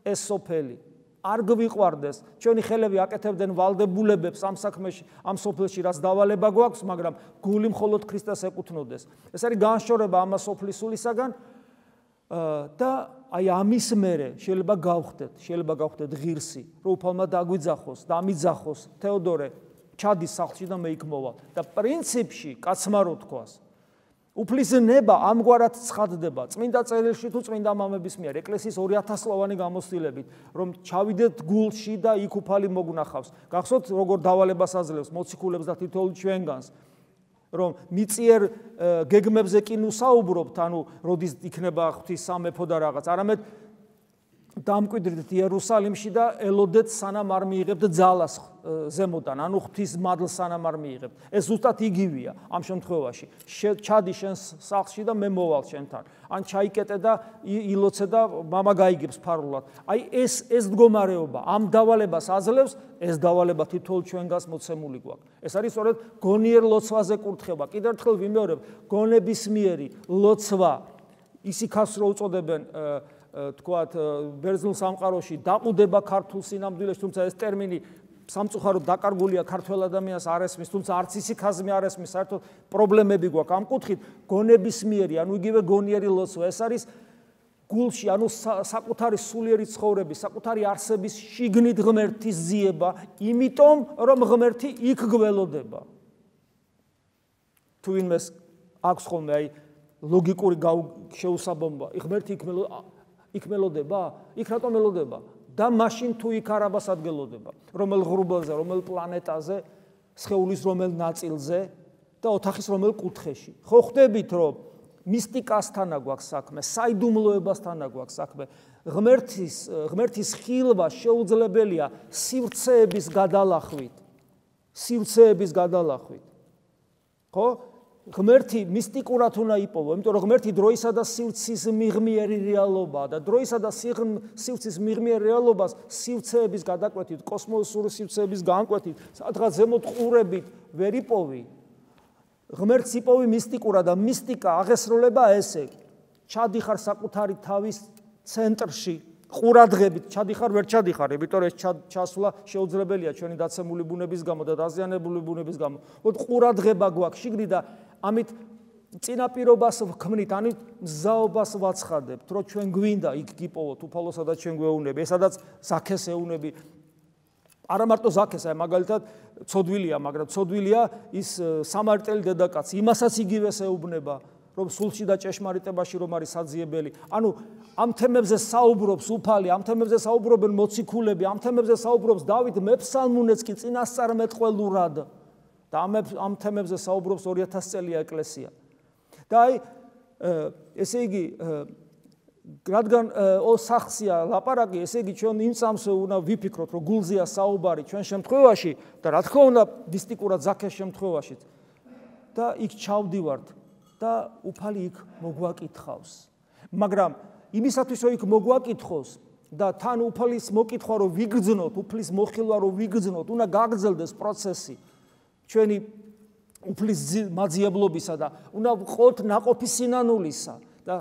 ეს სოფელი, არ გვიყვარდეს, ჩვენი ხელები აკეთებდნენ ვალდებულებებს ამ საქმეში, ამ სოფელში, რაც დავალება გვაქვს, მაგრამ გული მხოლოდ ქრისტეს ეკუთვნოდეს. ეს არის განშორება ამასოფლის სულისაგან და აი ამის მერე შეიძლება გავხდეთ, შეიძლება გავხდეთ ღირსი, რომ უფალმა დაგვიძახოს და ამიძახოს თეოდორე ჩადის სახლში და მე იქ მოვალ. და პრინციპში, კაცმა რო თქვას, უფლის ნება ამგვარად ცხადდება წმინდა წერილში თუ წმინდა მამების მიერ, ეკლესიის ორი ათასწლოვანი გამოცდილებით, რომ ჩავიდეთ გულში და იქ უფალი მოგნახავს. გახსოვთ, როგორ დავალებას აძლევს მოციქულებს და თითოეულ ჩვენგანს, რომ მიწიერ გეგმებზე კი ნუსაუბრობთ, ანუ როდის იქნება ღვთის სამეფო და რაღაც, არამედ დამკვიდრდით იერუსალიმში და ელოდეთ სანამ არ მიიღებთ ძალას ზემოდან, ანუ ღვთის მადლს სანამ არ მიიღებთ. ეს ზუსტად იგივეა ამ შემთხვევაში. ჩადი შენ სახლში და მე მოვალ შენთან. ან ჩაიკეტე და ილოცე და მამა გაიგებს ფარულად. აი ეს ეს მდგომარეობა ამ დავალებას აძლევს, ეს დავალება თითოეულ ჩვენგანს მოცემული გვაქვს. ეს არის სწორედ გონიერ ლოცვაზე კურთხება. კიდევ ერთხელ ვიმეორებ, გონებისმიერი ლოცვა, ისიქას რო უწოდებენ თქვათ ბერძნულ სამყაროში დაყუდება ქართულ სინამდვილეში, თუმცა ეს ტერმინი სამწუხაროდ დაკარგულია ქართველ ადამიანს არ ესმის, თუმცა არც ისიქაზმე არ ესმის, საერთოდ პრობლემები გვაქვს ამ კუთხით. გონებისმიერი, ანუ იგივე გონიერი ლოცვა, ეს არის გულში, ანუ საკუთარი სულიერი ცხოვრების, საკუთარი არსების შიგნით ღმერთის ძიება, იმიტომ რომ ღმერთი იქ გველოდება. თუ ვინმეს აქვს ხოლმე აი ლოგიკური შეუსაბამობა, ღმერთი იქ მელოდება, იქ რატომ მელოდება? და მაშინ თუ იქ არაბას ადგილოდება, რომელ ღრუბელზე, რომელ პლანეტაზე, სხეულის რომელ ნაწილზე და ოთახის რომელ კუთხეში. ხო ხვდებით, რომ მისტიკასთან აქვს საქმე, საიდუმლოებასთან აქვს საქმე. ღმერთის ღმერთის ხილვა შეუძლებელია სივრცეების გადალახვით. სივრცეების გადალახვით. ხო? ღმერთი მისტიკურად უნდა იპოვო, იმიტომ რომ ღმერთი დროისა და სივრცის მიღმიერი რეალობაა და დროისა და სივრცის მიღმიერ რეალობას სივრცეების გადაკვეთით, კოსმოსური სივრცეების განკვეთით, სადღაც ზემოთ ყურებით ვერ იპოვი. ღმერთს იპოვი მისტიკურად და მისტიკა აღესრულება ესე. ჩადიხარ საკუთარი თავის ცენტრში, ყურადღებით ჩადიხარ, ვერ ჩადიხარ, იმიტომ რომ ეს ჩასვლა შეუძლებელია ჩვენი დაცემული ბუნების გამო და დაზიანებული ბუნების გამო. მოდ ყურადღება გვაქვს შიგნით და ამით წინაპირობას ვქმნით, ამით მზაობას ვაცხადებთ, რომ ჩვენ გვინდა იქ გიპოვოთ უფალოსა და ჩვენ გვეუბნები, ესადაც ზაქეს ეუბნები. არა მარტო ზაქეს, აი მაგალითად ცოდვილია, მაგრამ ცოდვილია ის სამარტელი დედაკაცი, იმასაც იგივეს ეუბნება, რომ სულში და ჭეშმარიტებაში რომ არის საძიებელი. ანუ ამ თემებზე საუბრობს უფალი, ამ თემებზე საუბრობენ მოციქულები, ამ თემებზე საუბრობს დავით მეფსალმუნეც კი წინასწარმეტყველურად და ამ ამ თემებზე საუბრობს ორი ათასი წელია ეკლესია. და აი ესე იგი რადგან ოსახსია ლაპარაკი, ესე იგი ჩვენ იმ წამსვე უნდა ვიფიქროთ, რომ გულზეა საუბარი ჩვენ შემთხვევაში და რა თქმა უნდა მისტიკურად ზაქეს შემთხვევაშიც. და იქ ჩავდივართ და უფალი იქ მოგვაკითხავს. მაგრამ იმისათვის რომ იქ მოგვაკითხოს და თან უფალის მოკითხვა რომ ვიგრძნოთ, უფლის მოხილვა რომ ვიგრძნოთ, უნდა გაგრძელდეს პროცესი ჩვენი უფლის მაძიებლობისა და უნდა ვყოთ ნაყოფი სინანულისა და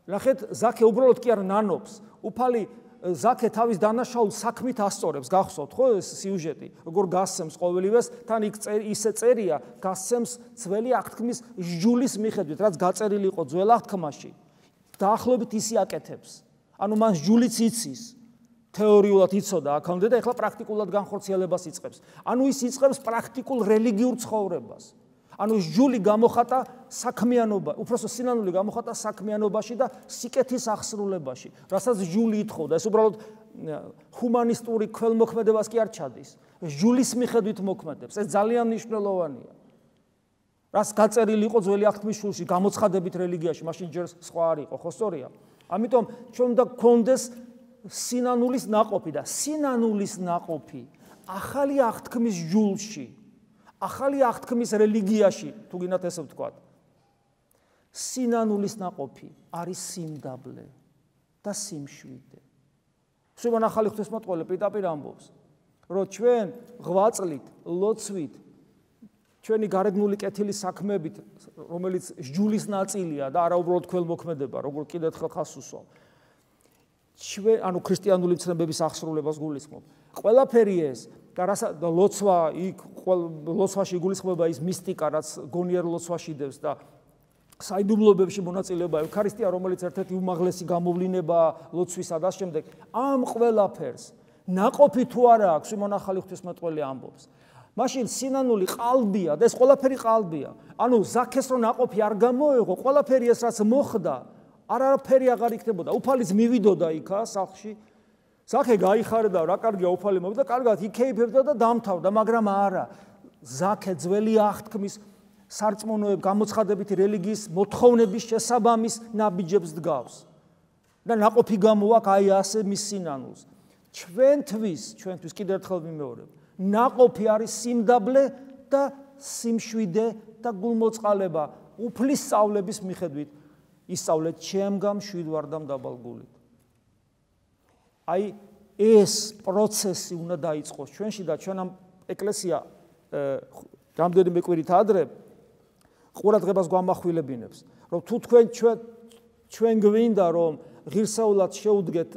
ნახეთ ზაქე უბრალოდ კი არ ნანობს. უფალი ზაქე თავის დანაშაულ საქმით ასწორებს, გახსოვთ ხო ეს სიუჟეტი, როგორ გასცემს ყოველივეს, თან იქ ისე წერია, გასცემს ძველი აღთქმის ჟჯულის მიხედვით, რაც გაწერილი იყო ძველ აღთქმაში. დაახლოებით ისი აკეთებს. ანუ მან ჟჯულიც იცის, თეორიულად იცოდა აქამდე და ეხლა პრაქტიკულად განხორციელებას იწყებს. ანუ ის იწყებს პრაქტიკულ რელიგიურ ცხოვრებას. ანუ ჟჯული გამოხატა საქმიანობა, უпросто სინანული გამოხატა საქმიანობაში და სიკეთის აღსრულებაში, რასაც ჟჯული ითხოვდა. ეს უბრალოდ ჰუმანისტური ქველმოქმედებას კი არ ჩადის. ჟჯულის მიხედვით მოქმედებს. ეს ძალიან მნიშვნელოვანია. რას გაწერილი იყო ძველი აღთქმის შულში, გამოცხადებით რელიგიაში, მაშინ ჯერ სხვა არ იყო, ხო სწორია? ამიტომ ჩვენ უნდა გქონდეს სინანულის ნაყოფი და სინანულის ნაყოფი ახალი აღთქმის ჟულში, ახალი აღთქმის რელიგიაში, თუ გინდათ ესე ვთქვათ. სინანულის ნაყოფი არის სიმდაბლე და სიმშვიდე. შევან ახალი ღვთისმოწყალე პირდაპირ ამბობს, რომ ჩვენ ღვაწლით, ლოცვით, ჩვენი გარეგნული კეთილის საქმებით, რომელიც ჟჯულის ნაწილია და არა უბრალოდ ქველმოქმედება, როგორ კიდევ ერთხელ ხას უსვამ. ჩვენ, ანუ ქრისტიანული ცნებების აღსრულებას გულისხმობ. ყველაფერი ეს და ლოცვა, იქ ლოცვაში გულისხმობა ის მისტიკა, რაც გონიერ ლოცვაში დევს და საიდუმლოებებში მონაწილეობა, ევქარისტია, რომელიც ერთ-ერთი უმაღლესი გამოვლინებაა ლოცვისა და შემდეგ. ამ ყველაფერს ნაყოფი თუ არა აქვს, სიმონ ახალი ღვთისმეტყველი ამბობს. მაშინ სინანული ყალბია და ეს ყველაფერი ყალბია. ანუ ზაქეს რო ნაყოფი არ გამოეღო, ყველაფერი ეს რაც მოხდა, არაფერი აღარ იქნებოდა. უფალიც მივიდოდა იქა სახლში. ზაქე გაიხარდა, რა კარგია უფალი მოვიდა, კარგად იქეიფებდა და დამთავრდა, მაგრამ არა. ზაქე ძველი აღთქმის სარწმუნოებ გამოცხადებითი რელიგიის მოთხოვნების შესაბამის ნაბიჯებს დგავს. და ნაყოფი გამოაქვს აი ასე მის სინანულს. ჩვენთვის, ჩვენთვის კიდევ ერთხელ ვიმეორებ, ნაყოფი არის სიმდაბლე და სიმშვიდე და გულმოწყალება უფლის სწავლების მიხედვით. ისწავლეთ ჩემგან მშვიდვარდამ დაბალგულით. აი ეს პროცესი უნდა დაიწყოს ჩვენში და ჩვენ ამ ეკლესია რამდენიმე კვირით ადრე ყურადღებას გვამახვილებინებს, რომ თუ თქვენ ჩვენ ჩვენ გვინდა რომ ღირსეულად შეუდგეთ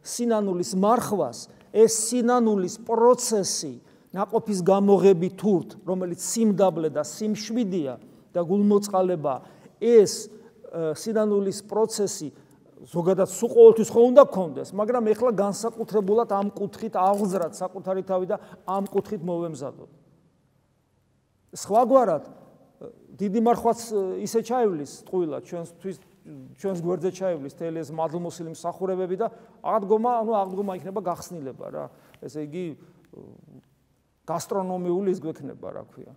სინანულის მარხვას, ეს სინანულის პროცესი ნაყოფის გამოღები თურთ, რომელიც სიმდაბლე და სიმშვიდია და გულმოწყალება, ეს სინანულის პროცესი ზოგადად სულ ყოველთვის ხო უნდა გქონდეს, მაგრამ ეხლა განსაკუთრებულად ამ კუთხით აღზრად საკუთარი თავი და ამ კუთხით მოვემზადოთ. სხვაგვარად დიდი მარხვაც ისე ჩაივლის ტყუილად ჩვენთვის ჩვენს გვერდზე ჩაივლის თელი ეს მადლმოსილი მსახურებები და აღდგომა, ანუ აღდგომა იქნება გახსნილება რა. ესე იგი გასტრონომიული ის გვექნება, რა ქვია.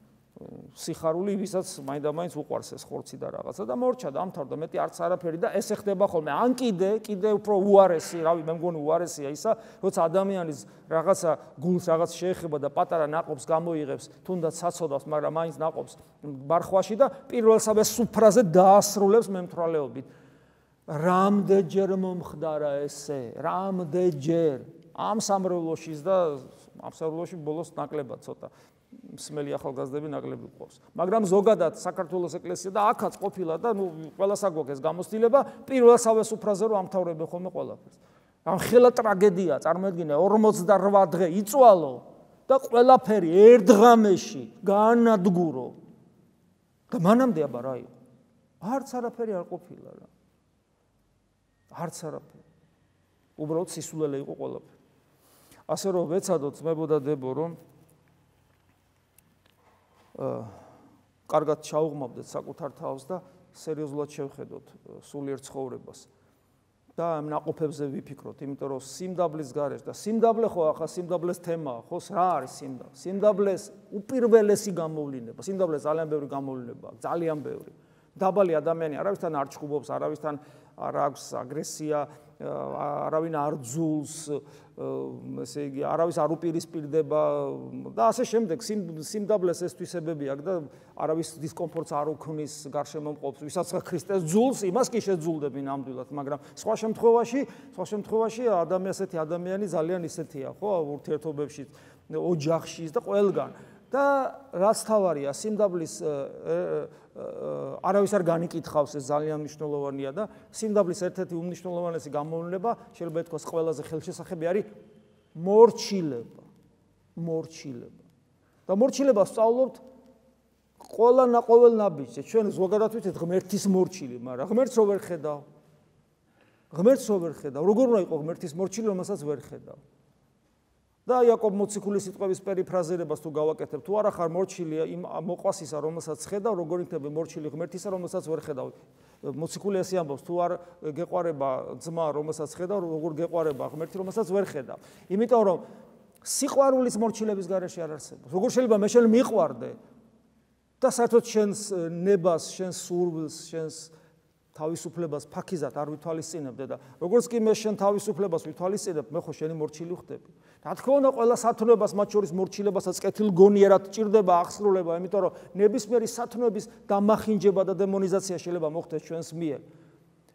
სიხარული, ვისაც მაინდა-მაინც უყვარს ეს ხორცი და რაღაცა და მორჩა და ამთავრდა, მეტი არც არაფერი და ესე ხდება ხოლმე. ან კიდე, კიდე უფრო უარესი, რავი, მე მგონი უარესია ისა, როცა ადამიანის რაღაცა გულს რაღაც შეეხება და პატარა ნაყოფს გამოიღებს, თუნდაც საცოდავს, მაგრამ მაინც ნაყოფს ბარხვაში და პირველსავე სუფრაზე დაასრულებს მემთვრალეობით. რამდენჯერ მომხდარა ესე, რამდენჯერ ამ სამრევლოშიც და ამ სამრევლოში ბოლოს ნაკლებად ცოტა მსმელი ახალგაზრდები ნაკლები ყავს. მაგრამ ზოგადად საქართველოს ეკლესია და აქაც ყოფილა და ნუ ყველას აგვაქვს ეს გამოცდილება პირველსავე სუფრაზე რომ ამთავრებენ ხოლმე ყველაფერს. ამ ხელა ტრაგედია წარმოედგინე ორმოცდაოთხ დღე იწვალო და ყველაფერი ერთ დღამეში გაანადგურო. და მანამდე აბა რა იყო? არც არაფერი არ ყოფილა რა. არც არაფერი. უბრალოდ სისულელე იყო ყველაფერი. ასე რომ ვეცადოთ ძმებო და დებო რომ კარგად ჩაუღმავდეთ საკუთარ თავს და სერიოზულად შევხედოთ სულიერ ცხოვრებას და ამ ნაყოფებზე ვიფიქროთ, იმიტომ რომ სიმდაბლის გარეშე და სიმდაბლე ხო ახლა სიმდაბლეს თემაა, ხო რა არის სიმდაბლე? სიმდაბლეს უპირველესი გამოვლინება, სიმდაბლეს ძალიან ბევრი გამოვლინება, ძალიან ბევრი. დაბალი ადამიანი არავისთან არ ჭუბობს, არავისთან არ აქვს აგრესია, არავინ არ ძულს, ესე იგი, არავის არ უპირისპირდება და ასე შემდეგ. სიმდაბლეს ეს თვისებები აქვს და არავის დისკომფორტს არ უქმნის გარშემო მყოფს. ვისაც ქრისტეს ძულს, იმას კი შეძულდებინ ნამდვილად, მაგრამ სხვა შემთხვევაში, სხვა შემთხვევაში ადამიანი ასეთი ადამიანი ძალიან ისეთია, ხო, ურთიერთობებში, ოჯახში და ყველგან. და რაც თავარია, სიმდაბლის არავის არ განიკითხავს, ეს ძალიან მნიშვნელოვანია და სიმდაბლის ერთ-ერთი უმნიშვნელოვანესი გამოვლინება, შეიძლება ითქვას ყველაზე ხელშესახები არის მორჩილება. მორჩილება. და მორჩილებას სწავლობთ ყველა ყოველ ნაბიჯზე. ჩვენ ზოგადად ვიცით ღმერთის მორჩილი, მაგრამ ღმერთს რო ვერ ხედავ. ღმერთს რო ვერ ხედავ. როგორ უნდა იყოს ღმერთის მორჩილი, რომელსაც ვერ ხედავ? და იაკობ მოციქულის სიტყვების პერიფრაზირებას თუ გავაკეთებ, თუ არა ხარ მორჩილია იმ მოყვასისა, რომელსაც ხედავ, როგორ იქნება მორჩილი ღმერთისა, რომელსაც ვერ ხედავ. მოციქული ესე ამბობს, თუ არ გეყვარება ძმა, რომელსაც ხედავ, როგორ გეყვარება ღმერთი, რომელსაც ვერ ხედავ. იმიტომ რომ სიყვარულის მორჩილების გარეშე არ არსებობს. როგორ შეიძლება მე შენ მიყვარდე და საერთოდ შენს ნებას, შენს სურვილს, შენს თავისუფლებას ფაქიზად არ ვითვალისწინებდე და როგორც კი მე შენ თავისუფლებას ვითვალისწინებ, მე ხო შენი მორჩილი ხდები. რა თქმა უნდა, ყველა სათნოებას, მათ შორის მორჩილებასაც კეთილგონიერად ჭირდება აღსრულება, იმიტომ რომ ნებისმიერი სათნოების დამახინჯება და დემონიზაცია შეიძლება მოხდეს ჩვენს მიერ.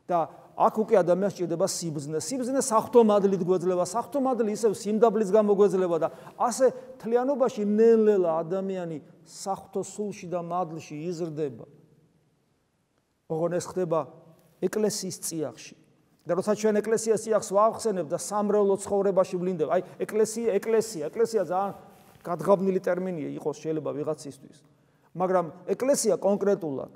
და აქ უკვე ადამიანს ჭირდება სიბრძნე. სიბრძნე საღვთო მადლით გვეძლება, საღვთო მადლი ისევ სიმდაბლის გამო გვეძლება და ასე თლიანობაში ნელ-ნელა ადამიანი საღვთო სულში და მადლში იზრდება. ოღონ ეს ხდება ეკლესიის წიაღში. და როცა ჩვენ ეკლესიას წიაღს ვახსენებ და სამრევლო ცხოვრებაში ვლინდებ, აი ეკლესია, ეკლესია, ეკლესია ძალიან გადღაბნილი ტერმინია იყოს შეიძლება ვიღაცისთვის. მაგრამ ეკლესია კონკრეტულად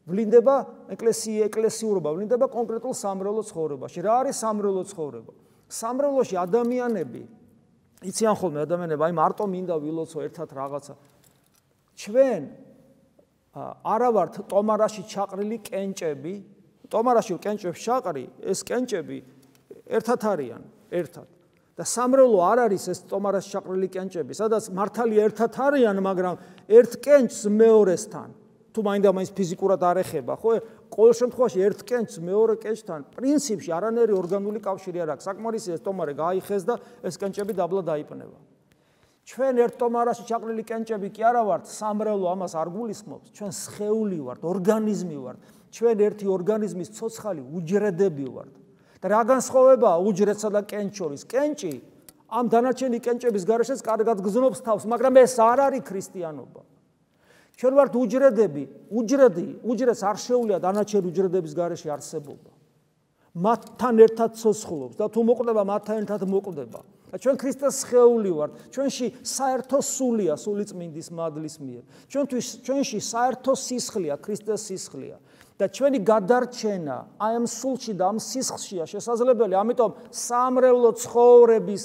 ვლინდება, ეკლესია, ეკლესიურობა ვლინდება კონკრეტულ სამრევლო ცხოვრებაში. რა არის სამრევლო ცხოვრება? სამრევლოში ადამიანები, იციან ხოლმე ადამიანები, აი მარტო მინდა ვილოცო ერთად რაღაცა. ჩვენ არა ვართ ტომარაში ჩაყრილი კენჭები, ტომარაში კენჭებს ჩაყრი, ეს კენჭები ერთად არიან, ერთად. და სამრევლო არ არის ეს ტომარაში ჩაყრილი კენჭები, სადაც მართალია ერთად არიან, მაგრამ ერთ კენჭს მეორესთან, თუ მაინდა-მაინც ფიზიკურად არ ეხება, ხო? ყოველ შემთხვევაში ერთ კენჭს მეორე კენჭთან პრინციპში არანაირი ორგანული კავშირი არ აქვს. საკმარისია ეს ტომარე გაიხეს და ეს კენჭები დაბლა დაიპნება. ჩვენ ერთ ტომარაში ჩაყრილი კენჭები კი არა ვართ, სამრევლო ამას არ გულისხმობს, ჩვენ სხეული ვართ, ორგანიზმი ვართ, ჩვენ ერთი ორგანიზმის ცოცხალი უჯრედები ვართ. და რა განსხვავებაა უჯრედსა და კენჭს შორის? კენჭი ამ დანარჩენი კენჭების გარეშეც კარგად გზნობს თავს, მაგრამ ეს არ არის ქრისტიანობა. ჩვენ ვართ უჯრედები, უჯრედი, უჯრედს არ შეუძლია დანარჩენი უჯრედების გარეშე არსებობა. მათთან ერთად ცოცხლობს და თუ მოკვდება, მათთან ერთად მოკვდება. ჩვენ ქრისტეს სხეული ვართ, ჩვენში საერთო სულია სულიწმინდის მადლის მიერ. ჩვენთვის ჩვენში საერთო სისხლია, ქრისტეს სისხლია. და ჩვენი გადარჩენა აი ამ სულში და ამ სისხლშია შესაძლებელი. ამიტომ სამრევლო ცხოვრების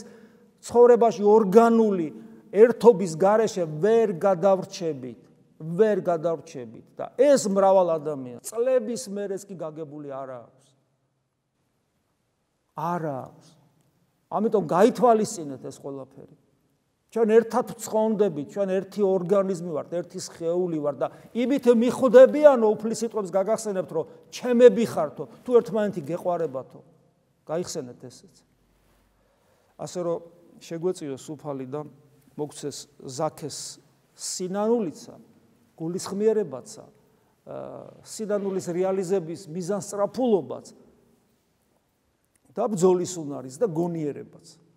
ცხოვრებაში ორგანული ერთობის გარეშე ვერ გადავრჩებით, ვერ გადავრჩებით და ეს მრავალ ადამიანს წლების მერეც კი გაგებული არ აქვს. არ აქვს. ამიტომ გაითვალისწინეთ ეს ყველაფერი. ჩვენ ერთად ვცხონდებით, ჩვენ ერთი ორგანიზმი ვართ, ერთი სხეული ვართ და იმით მიხვდებიანო უფლის სიტყვებს გაგახსენებთ, რომ ჩემები ხართო, თუ ერთმანეთი გეყვარებათო. გაიხსენეთ ესეც. ასე რომ შეგვეწიოს უფალი და მოგცეს ზაქეს სინანულიცა, გულისხმიერებაცა, სინანულის რეალიზების მიზანსწრაფულობაც და ბრძოლის უნარიც და გონიერებაც.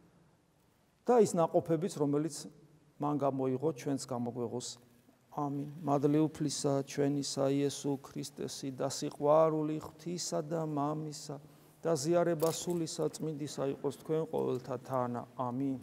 და ის ნაყოფებიც, რომელიც მან გამოიღო, ჩვენც გამოგვეღოს. ამინ. მადლი უფლისა ჩვენისა იესო ქრისტესი და სიყვარული ღვთისა და მამისა და ზიარება სული საწმინდისა იყოს თქვენ ყოველთა თანა. ამინ.